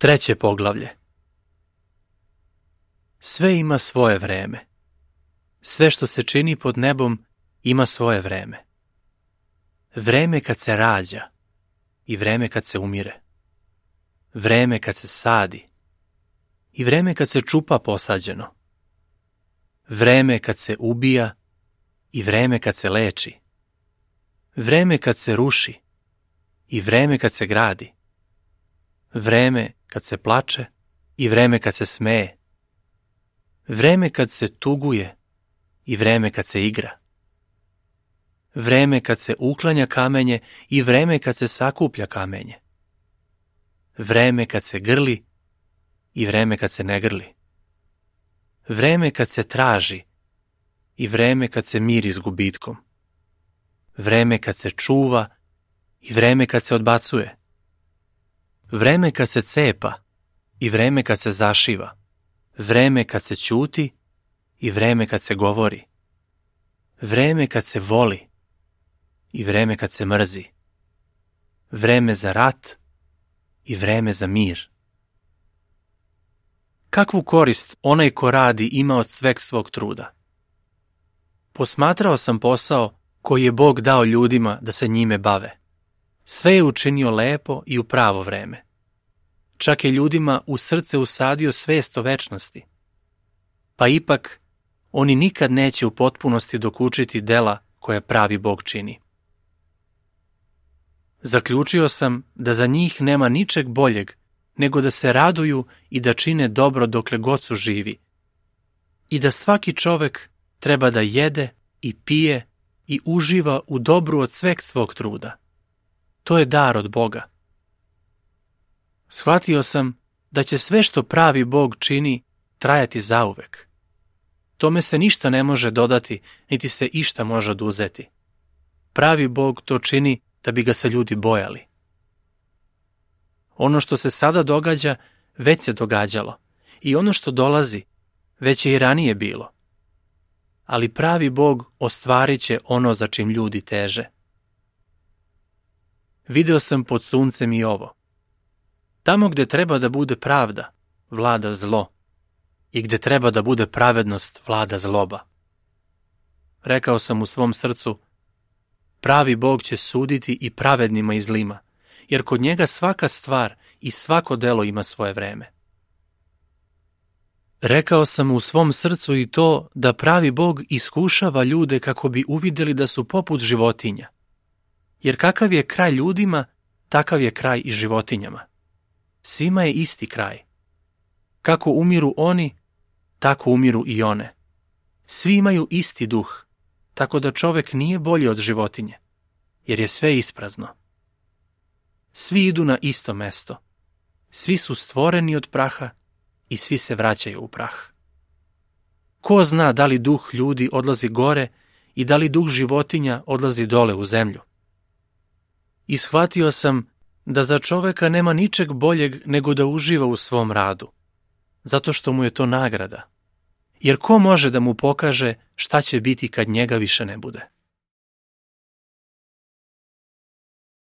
Treće poglavlje. Sve ima svoje vreme. Sve što se čini pod nebom ima svoje vreme. Vreme kad se rađa i vreme kad se umire. Vreme kad se sadi i vreme kad se čupa posađeno. Vreme kad se ubija i vreme kad se leči. Vreme kad se ruši i vreme kad se gradi. Vreme kad se plače i vreme kad se smeje. Vreme kad se tuguje i vreme kad se igra. Vreme kad se uklanja kamenje i vreme kad se sakuplja kamenje. Vreme kad se grli i vreme kad se ne grli. Vreme kad se traži i vreme kad se miri s gubitkom. Vreme kad se čuva i vreme kad se odbacuje. Vreme kad se cepa i vreme kad se zašiva. Vreme kad se ćuti i vreme kad se govori. Vreme kad se voli i vreme kad se mrzi. Vreme za rat i vreme za mir. Kakvu korist onaj ko radi ima od sveg svog truda? Posmatrao sam posao koji je Bog dao ljudima da se njime bave. Sve je učinio lepo i u pravo vreme. Čak je ljudima u srce usadio svest o večnosti. Pa ipak, oni nikad neće u potpunosti dokučiti dela koje pravi Bog čini. Zaključio sam da za njih nema ničeg boljeg nego da se raduju i da čine dobro dokle god su živi. I da svaki čovek treba da jede i pije i uživa u dobru od sveg svog truda. To je dar od Boga. Shvatio sam da će sve što pravi Bog čini trajati zauvek. Tome se ništa ne može dodati, niti se išta može oduzeti. Pravi Bog to čini da bi ga se ljudi bojali. Ono što se sada događa, već se događalo. I ono što dolazi, već je i ranije bilo. Ali pravi Bog ostvarit će ono za čim ljudi teže. Video sam pod suncem i ovo. Tamo gde treba da bude pravda, vlada zlo. I gde treba da bude pravednost, vlada zloba. Rekao sam u svom srcu, pravi Bog će suditi i pravednima i zlima, jer kod njega svaka stvar i svako delo ima svoje vreme. Rekao sam u svom srcu i to da pravi Bog iskušava ljude kako bi uvideli da su poput životinja. Jer kakav je kraj ljudima, takav je kraj i životinjama. Svima je isti kraj. Kako umiru oni, tako umiru i one. Svi imaju isti duh, tako da čovek nije bolji od životinje, jer je sve isprazno. Svi idu na isto mesto. Svi su stvoreni od praha i svi se vraćaju u prah. Ko zna da li duh ljudi odlazi gore i da li duh životinja odlazi dole u zemlju? I shvatio sam da za čoveka nema ničeg boljeg nego da uživa u svom radu, zato što mu je to nagrada. Jer ko može da mu pokaže šta će biti kad njega više ne bude?